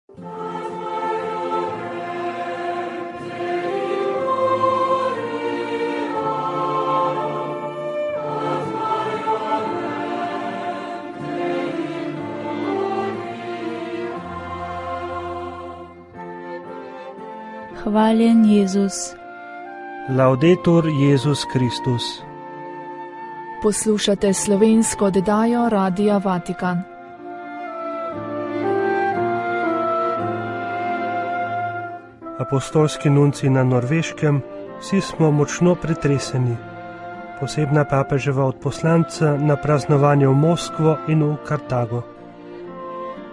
Hvaljen Jezus. Laudetur Jezus Kristus. Poslušate slovensko oddajo Radia Vatikan. Apostolski nunci na Norveškem, vsi smo močno pretreseni. Posebna papeževa odposlanca na praznovanje v Moskvo in v Kartago.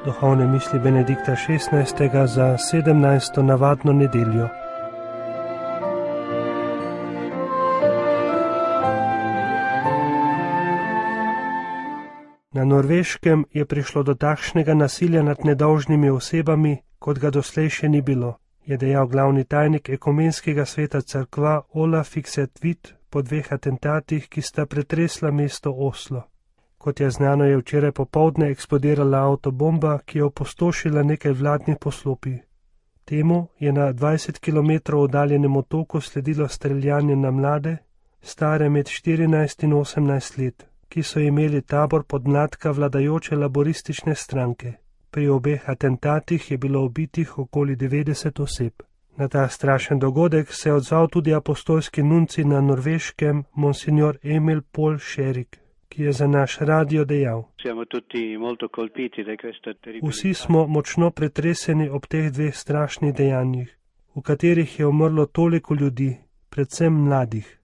Duhovne misli Benedikta XVI. Za 17. navadno nedeljo. Na Norveškem je prišlo do takšnega nasilja nad nedolžnimi osebami, kot ga doslej še ni bilo, je dejal glavni tajnik Ekumenskega sveta cerkva Ola Fikset-Vit po 2 atentatih, ki sta pretresla mesto Oslo. Kot je znano, je včeraj popoldne eksplodirala avtobomba, ki je opustošila nekaj vladnih poslopij. Temu je na 20 km oddaljenem otoku sledilo streljanje na mlade, stare med 14 in 18 let, ki so imeli tabor podmladka vladajoče laboristične stranke. Pri obeh atentatih je bilo ubitih okoli 90 oseb. Na ta strašen dogodek se je odzval tudi apostolski nunci na Norveškem, monsignor Emil Paul Sherik, ki je za naš radio dejal: Vsi smo močno pretreseni ob teh 2 strašnih dejanjih, v katerih je umrlo toliko ljudi, predvsem mladih.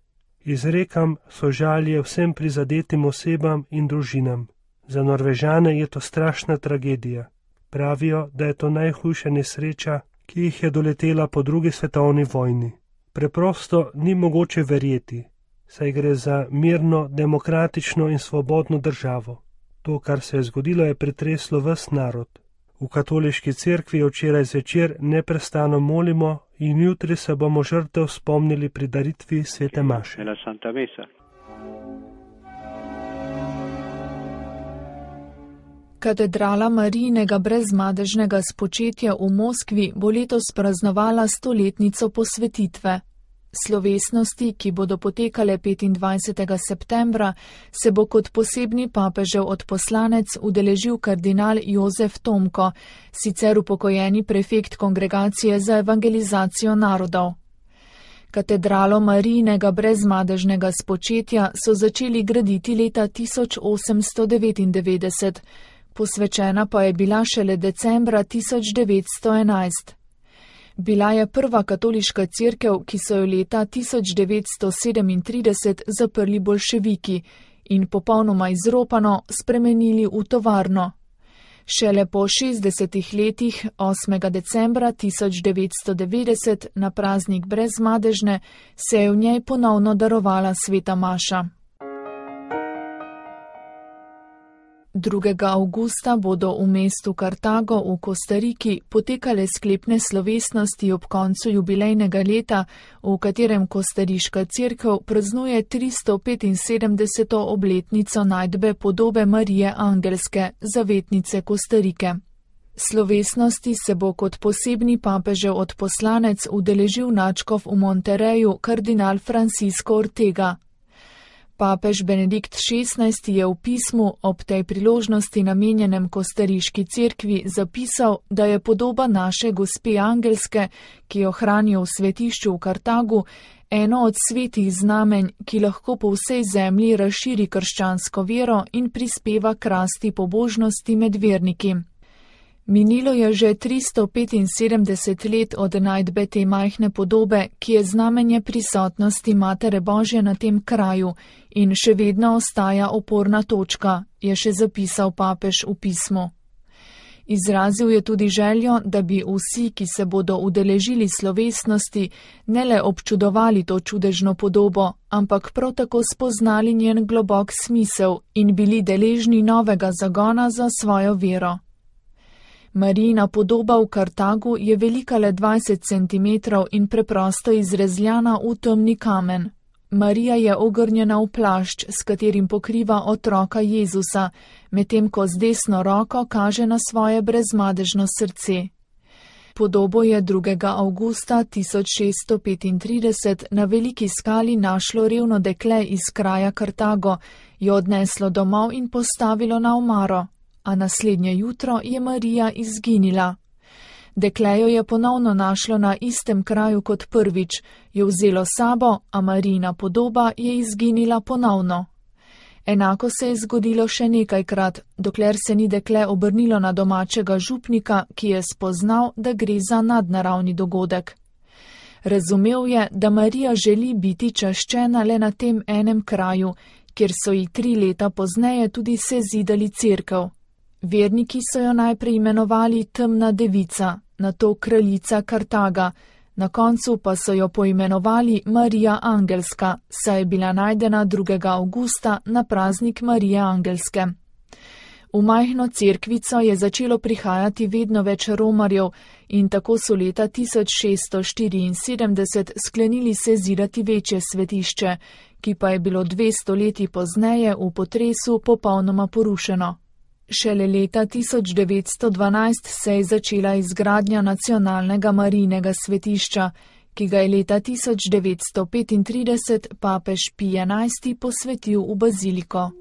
Izrekam sožalje vsem prizadetim osebam in družinam. Za Norvežane je to strašna tragedija. Pravijo, da je to najhujša nesreča, ki jih je doletela po 2. svetovni vojni. Preprosto ni mogoče verjeti, saj gre za mirno, demokratično in svobodno državo. To, kar se je zgodilo, je pretreslo ves narod. V katoliški cerkvi včeraj zvečer neprestano molimo in jutri se bomo žrtev spomnili pri daritvi svete maše. Katedrala Marijinega brezmadežnega spočetja v Moskvi bo letos praznovala 100-letnico posvetitve. Slovesnosti, ki bodo potekale 25. septembra, se bo kot posebni papežev odposlanec udeležil kardinal Jozef Tomko, sicer upokojeni prefekt Kongregacije za evangelizacijo narodov. Katedralo Marijinega brezmadežnega spočetja so začeli graditi leta 1899, posvečena pa je bila šele decembra 1911. Bila je prva katoliška cerkev, ki so jo leta 1937 zaprli boljševiki in popolnoma izropano spremenili v tovarno. Šele po 60 letih, 8. decembra 1990, na praznik brezmadežne, se je v njej ponovno darovala sveta maša. 2. avgusta bodo v mestu Kartago v Kostariki potekale sklepne slovesnosti ob koncu jubilejnega leta, v katerem kostariška cerkev praznuje 375. obletnico najdbe podobe Marije Angelske, zavetnice Kostarike. Slovesnosti se bo kot posebni papežev odposlanec udeležil nadškof v Monterreju kardinal Francisco Ortega. Papež Benedikt XVI. Je v pismu ob tej priložnosti namenjenem kostariški cerkvi zapisal, da je podoba naše gospe Angelske, ki jo hranijo v svetišču v Kartagu, eno od svetih znamenj, ki lahko po vsej zemlji razširi krščansko vero in prispeva k rasti pobožnosti med verniki. Minilo je že 375 let od najdbe te majhne podobe, ki je znamenje prisotnosti Matere Božje na tem kraju in še vedno ostaja oporna točka, je še zapisal papež v pismu. Izrazil je tudi željo, da bi vsi, ki se bodo udeležili slovesnosti, ne le občudovali to čudežno podobo, ampak prav tako spoznali njen globok smisel in bili deležni novega zagona za svojo vero. Marijina podoba v Kartagu je velika le 20 cm in preprosto izrezljana v temni kamen. Marija je ogrnjena v plašč, s katerim pokriva otroka Jezusa, medtem ko z desno roko kaže na svoje brezmadežno srce. Podobo je 2. avgusta 1635 na veliki skali našlo revno dekle iz kraja Kartago, jo odneslo domov in postavilo na omaro, a naslednje jutro je Marija izginila. Dekle jo je ponovno našlo na istem kraju kot prvič, jo vzelo sabo, a Marijina podoba je izginila ponovno. Enako se je zgodilo še nekajkrat, dokler se ni dekle obrnilo na domačega župnika, ki je spoznal, da gre za nadnaravni dogodek. Razumel je, da Marija želi biti čaščena le na tem enem kraju, kjer so ji 3 leta pozneje tudi sezidali cerkev. Verniki so jo najprej imenovali Temna devica, nato kraljica Kartaga, na koncu pa so jo poimenovali Marija Angelska, saj je bila najdena 2. avgusta na praznik Marije Angelske. V majhno cerkvico je začelo prihajati vedno več romarjev in tako so leta 1674 sklenili sezidati večje svetišče, ki pa je bilo 200 leti pozneje v potresu popolnoma porušeno. Šele leta 1912 se je začela izgradnja nacionalnega Marijinega svetišča, ki ga je leta 1935 papež Pij XI posvetil v baziliko.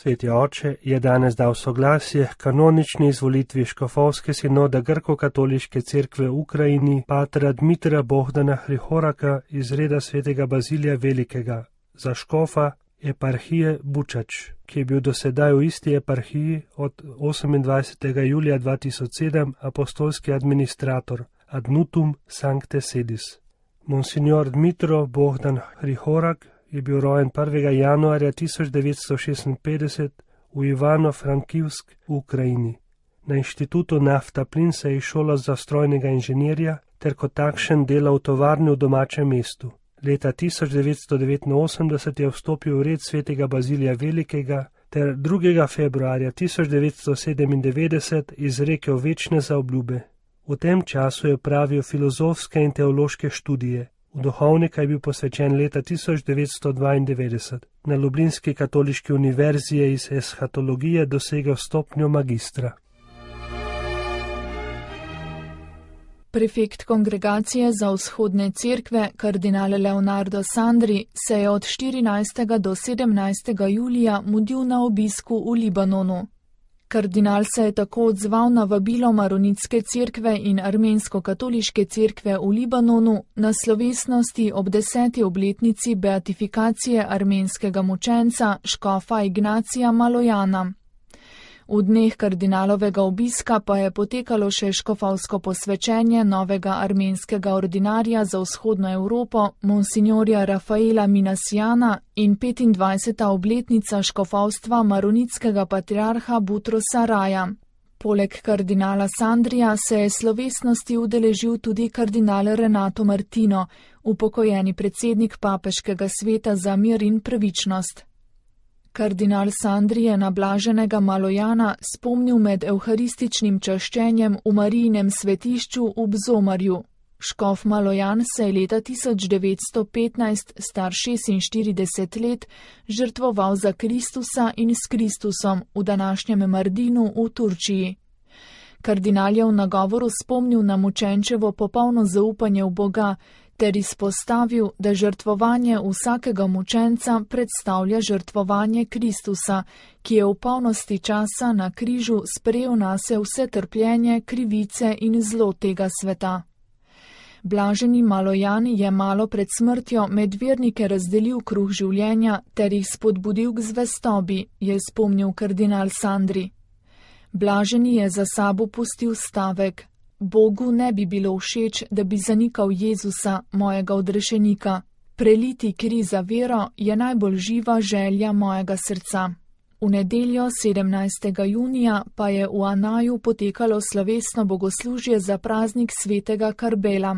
Sveti oče je danes dal soglasje k kanonični izvolitvi škofovske sinoda Grko-katoliške cerkve v Ukrajini patra Dmitra Bohdana Hrihoraka iz reda svetega Bazilija Velikega za škofa eparhije Bučač, ki je bil dosedaj v isti eparhiji od 28. julija 2007 apostolski administrator ad nutum sancte sedis. Monsignor Dmitro Bohdan Hrihorak je bil rojen 1. januarja 1956 v Ivano-Frankivsk v Ukrajini. Na inštitutu Nafta Plin se je izšolal za strojnega inženirja ter kot takšen delal v tovarni v domačem mestu. Leta 1989 je vstopil v red svetega Bazilija Velikega ter 2. februarja 1997 izrekel večne zaobljube. V tem času je opravil filozofske in teološke študije. V duhovnika je bil posvečen leta 1992. Na Ljubljanski katoliški univerzi je iz eshatologije dosegel stopnjo magistra. Prefekt kongregacije za vzhodne cerkve, kardinal Leonardo Sandri, se je od 14. do 17. julija mudil na obisku v Libanonu. Kardinal se je tako odzval na vabilo Maronitske cerkve in Armensko-katoliške cerkve v Libanonu na slovesnosti ob 10. obletnici beatifikacije armenskega mučenca škofa Ignacija Malojana. V dneh kardinalovega obiska pa je potekalo še škofovsko posvečenje novega armenskega ordinarja za vzhodno Evropo, monsignorja Rafaela Minasjana in 25. obletnica škofovstva maronitskega patriarha Butrosa Raja. Poleg kardinala Sandrija se je slovesnosti udeležil tudi kardinal Renato Martino, upokojeni predsednik papeškega sveta za mir in pravičnost. Kardinal Sandri je na blaženega Malojana spomnil med evharističnim čaščenjem v Marijinem svetišču v Bzomarju. Škof Malojan se je leta 1915, star 46 let, žrtvoval za Kristusa in s Kristusom v današnjem Mardinu v Turčiji. Kardinal je v nagovoru spomnil na mučenčevo popolno zaupanje v Boga, ter izpostavil, da žrtvovanje vsakega mučenca predstavlja žrtvovanje Kristusa, ki je v polnosti časa na križu sprejel nase vse trpljenje, krivice in zlo tega sveta. Blaženi Malojan je malo pred smrtjo med vernike razdelil kruh življenja ter jih spodbudil k zvestobi, je spomnil kardinal Sandri. Blaženi je za sabo pustil stavek: Bogu ne bi bilo všeč, da bi zanikal Jezusa, mojega odrešenika. Preliti kri za vero je najbolj živa želja mojega srca. V nedeljo 17. junija pa je v Anaju potekalo slovesno bogoslužje za praznik svetega Karbela.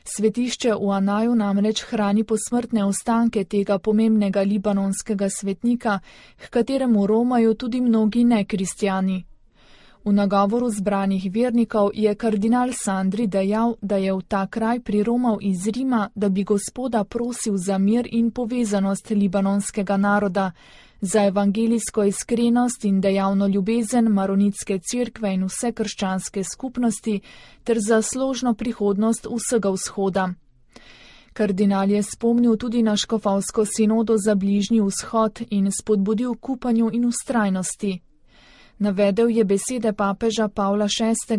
Svetišče v Anaju namreč hrani posmrtne ostanke tega pomembnega libanonskega svetnika, h kateremu romajo tudi mnogi nekristjani. V nagovoru zbranih vernikov je kardinal Sandri dejal, da je v ta kraj priromal iz Rima, da bi Gospoda prosil za mir in povezanost libanonskega naroda, za evangelijsko iskrenost in dejavno ljubezen Maronitske cerkve in vse krščanske skupnosti ter za složno prihodnost vsega vzhoda. Kardinal je spomnil tudi na škofovsko sinodo za Bližnji vzhod in spodbudil k upanju in vztrajnosti. Navedel je besede papeža Pavla VI.,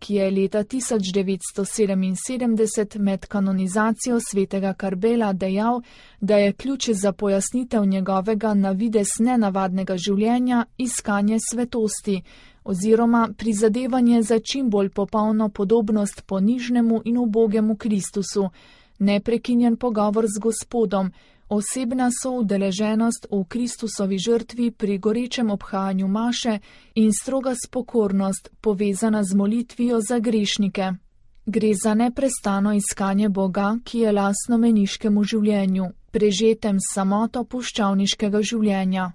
ki je leta 1977 med kanonizacijo svetega Karbela dejal, da je ključ za pojasnitev njegovega na videz nenavadnega življenja iskanje svetosti oziroma prizadevanje za čim bolj popolno podobnost ponižnemu in ubogemu Kristusu, neprekinjen pogovor z Gospodom, osebna soudeleženost v Kristusovi žrtvi pri gorečem obhajanju maše in stroga spokornost, povezana z molitvijo za grešnike. Gre za neprestano iskanje Boga, ki je lastno meniškemu življenju, prežetem s samoto puščavniškega življenja.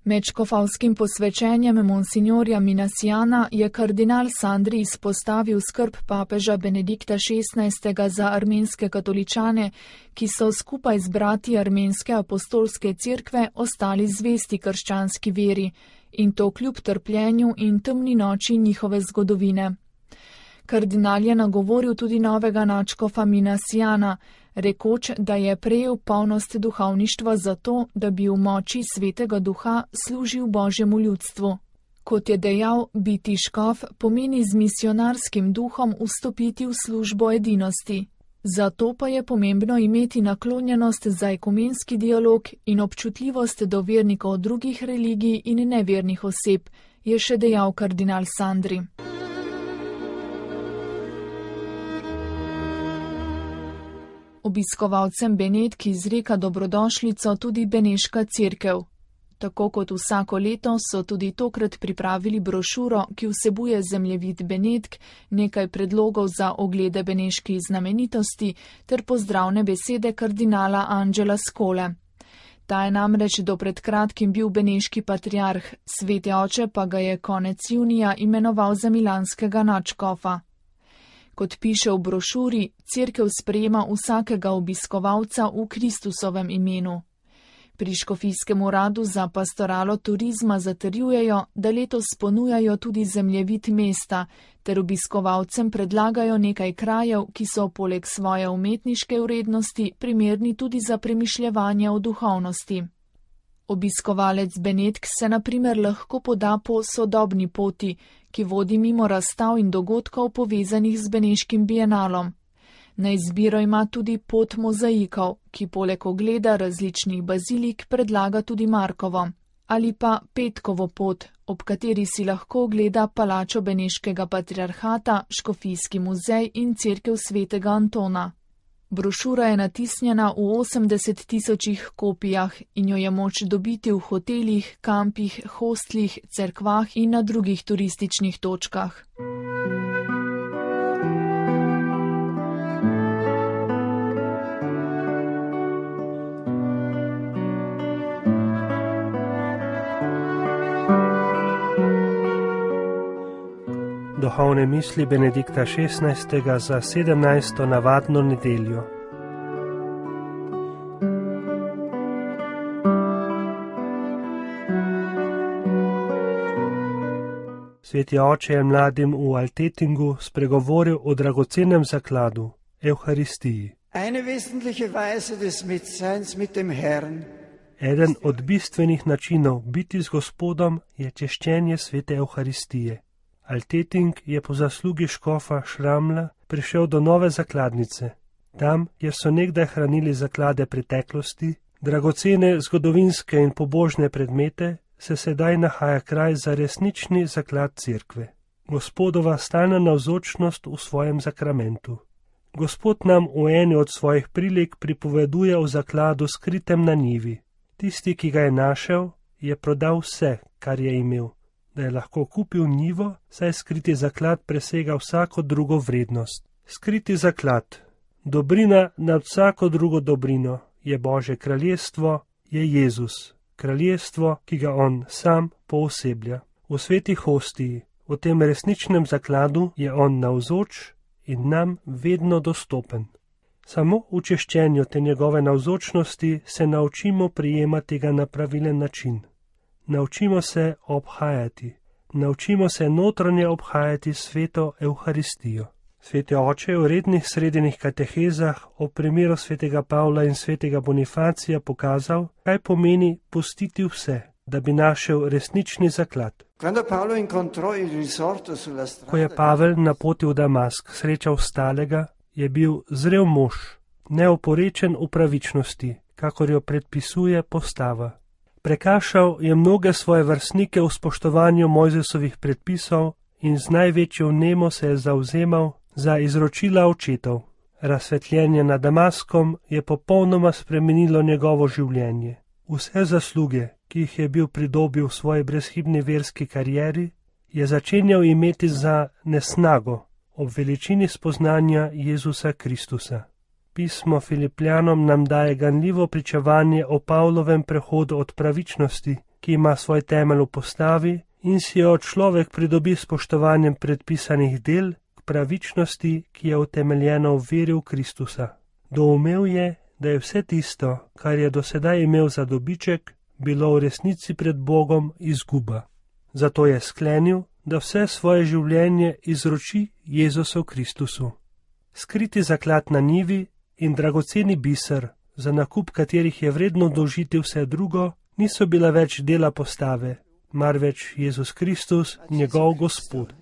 Med škofovskim posvečenjem monsignorja Minasiana je kardinal Sandri izpostavil skrb papeža Benedikta XVI. Za armenske katoličane, ki so skupaj z brati armenske apostolske cerkve ostali zvesti krščanski veri, in to kljub trpljenju in temni noči njihove zgodovine. Kardinal je nagovoril tudi novega nadškofa Minasiana, rekoč, da je prejel polnost duhovništva zato, da bi v moči svetega duha služil Božjemu ljudstvu. Kot je dejal, biti škof pomeni z misionarskim duhom vstopiti v službo edinosti. Zato pa je pomembno imeti naklonjenost za ekumenski dialog in občutljivost do vernikov drugih religij in nevernih oseb, je še dejal kardinal Sandri. Obiskovalcem Benetk izreka dobrodošlico tudi Beneška cerkev. Tako kot vsako leto so tudi tokrat pripravili brošuro, ki vsebuje zemljevid Benetk, nekaj predlogov za oglede beneških znamenitosti ter pozdravne besede kardinala Angela Skole. Ta je namreč do pred kratkim bil beneški patriarh, sveti oče pa ga je konec junija imenoval za milanskega nadškofa. Kot piše v brošuri, cerkev sprejema vsakega obiskovalca v Kristusovem imenu. Pri škofijskem uradu za pastoralo turizma zatrjujejo, da letos ponujajo tudi zemljevid mesta, ter obiskovalcem predlagajo nekaj krajev, ki so poleg svoje umetniške vrednosti primerni tudi za premišljevanje o duhovnosti. Obiskovalec Benetk se na primer lahko poda po sodobni poti, ki vodi mimo razstav in dogodkov povezanih z beneškim bienalom. Na izbiro ima tudi pot mozaikov, ki poleg ogleda različnih bazilik predlaga tudi Markovo, ali pa Petkovo pot, ob kateri si lahko ogleda palačo beneškega patriarhata, škofijski muzej in cerkev svetega Antona. Brošura je natisnjena v 80.000 kopijah in jo je moč dobiti v hotelih, kampih, hostlih, cerkvah in na drugih turističnih točkah. Duhovne misli Benedikta XVI. Za 17. navadno nedeljo. Sveti oče je mladim v Altettingu spregovoril o dragocenem zakladu, Evharistiji. Eden od bistvenih načinov biti z Gospodom je češčenje svete Evharistije. Altetting je po zaslugi škofa Šramla prišel do nove zakladnice. Tam, kjer so nekdaj hranili zaklade preteklosti, dragocene zgodovinske in pobožne predmete, se sedaj nahaja kraj za resnični zaklad cerkve. Gospodova stalna navzočnost v svojem zakramentu. Gospod nam v eni od svojih prilik pripoveduje o zakladu skritem na njivi. Tisti, ki ga je našel, je prodal vse, kar je imel, da je lahko kupil njivo, saj skriti zaklad presega vsako drugo vrednost. Skriti zaklad, dobrina nad vsako drugo dobrino, je Božje kraljestvo, je Jezus, kraljestvo, ki ga on sam pooseblja. V sveti hostiji, v tem resničnem zakladu je on navzoč in nam vedno dostopen. Samo v češčenju te njegove navzočnosti se naučimo prijemati ga na pravilen način. Naučimo se obhajati. Naučimo se notranje obhajati sveto Evharistijo. Sveti oče je v rednih sredinih katehezah o primeru svetega Pavla in svetega Bonifacija pokazal, kaj pomeni pustiti vse, da bi našel resnični zaklad. Ko je Pavel na poti v Damask srečal stalega, je bil zrel mož, neoporečen v pravičnosti, kakor jo predpisuje postava. Prekašal je mnoge svoje vrstnike v spoštovanju Mojzesovih predpisov in z največjo vnemo se je zavzemal za izročila očetov. Razsvetljenje nad Damaskom je popolnoma spremenilo njegovo življenje. Vse zasluge, ki jih je bil pridobil v svoji brezhibni verski karieri, je začenjal imeti za nesnago ob veličini spoznanja Jezusa Kristusa. Pismo Filipljanom nam daje ganljivo pričevanje o Pavlovem prehodu od pravičnosti, ki ima svoj temelj v postavi, in si jo človek pridobi s spoštovanjem predpisanih del, k pravičnosti, ki je utemeljena v veri v Kristusa. Doumel je, da je vse tisto, kar je dosedaj imel za dobiček, bilo v resnici pred Bogom izguba. Zato je sklenil, da vse svoje življenje izroči Jezusu Kristusu. Skriti zaklad na njivi in dragoceni biser, za nakup katerih je vredno dolžiti vse drugo, niso bila več dela postave, marveč Jezus Kristus, njegov Gospod.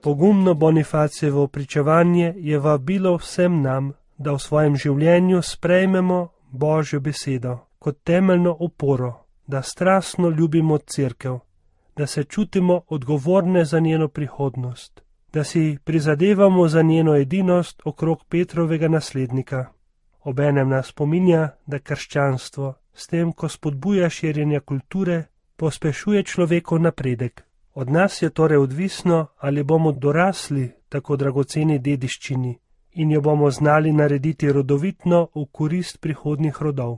Pogumno Bonifacijevo pričevanje je vabilo vsem nam, da v svojem življenju sprejmemo Božjo besedo kot temeljno oporo, da strastno ljubimo cerkev, da se čutimo odgovorne za njeno prihodnost, da si prizadevamo za njeno edinost okrog Petrovega naslednika. Obenem nas spominja, da krščanstvo, s tem, ko spodbuja širjenje kulture, pospešuje človekov napredek. Od nas je torej odvisno, ali bomo dorasli tako dragoceni dediščini in jo bomo znali narediti rodovitno v korist prihodnjih rodov.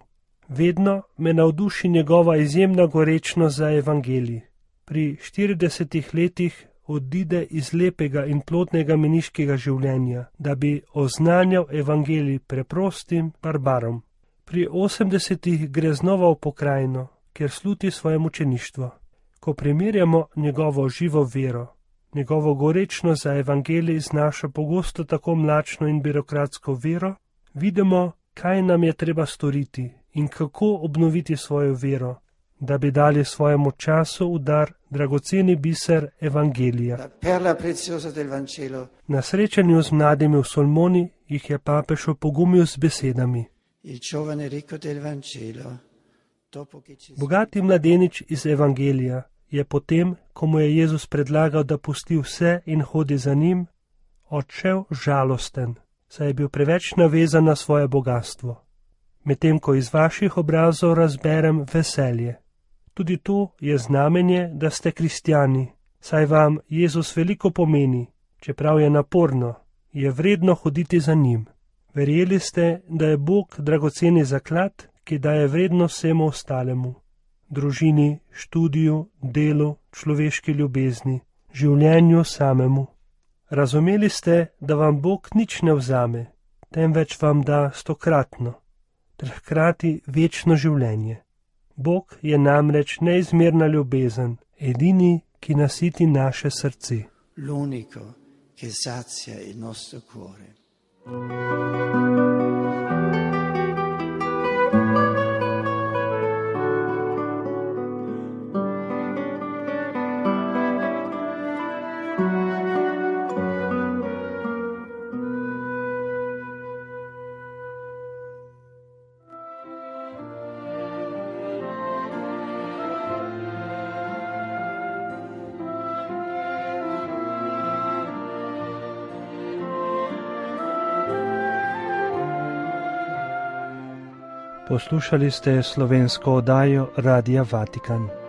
Vedno me navduši njegova izjemna gorečnost za evangelij. Pri 40 letih odide iz lepega in plodnega meniškega življenja, da bi oznanjal evangelij preprostim barbarom. Pri 80 gre znova v pokrajino, kjer sluti svoje mučeništvo. Ko primerjamo njegovo živo vero, njegovo gorečnost za evangelij z našo pogosto tako mlačno in birokratsko vero, vidimo, kaj nam je treba storiti in kako obnoviti svojo vero, da bi dali svojemu času v dar dragoceni biser evangelija. Na srečanju z mladimi v Solmoni jih je papež opogumil z besedami. Bogati mladenič iz evangelija je potem, ko mu je Jezus predlagal, da pusti vse in hodi za njim, odšel žalosten, saj je bil preveč navezan na svoje bogastvo. Medtem ko iz vaših obrazov razberem veselje. Tudi to je znamenje, da ste kristjani, saj vam Jezus veliko pomeni, čeprav je naporno, je vredno hoditi za njim. Verjeli ste, da je Bog dragoceni zaklad, ki daje vrednost vsemu ostalemu. Družini, študiju, delu, človeški ljubezni, življenju samemu. Razumeli ste, da vam Bog nič ne vzame, temveč vam da 100-kratno, ter hkrati večno življenje. Bog je namreč neizmerna ljubezen, edini, ki nasiti naše srce. L'unico che sazia il nostro cuore. Poslušali ste slovensko oddajo Radia Vatikan.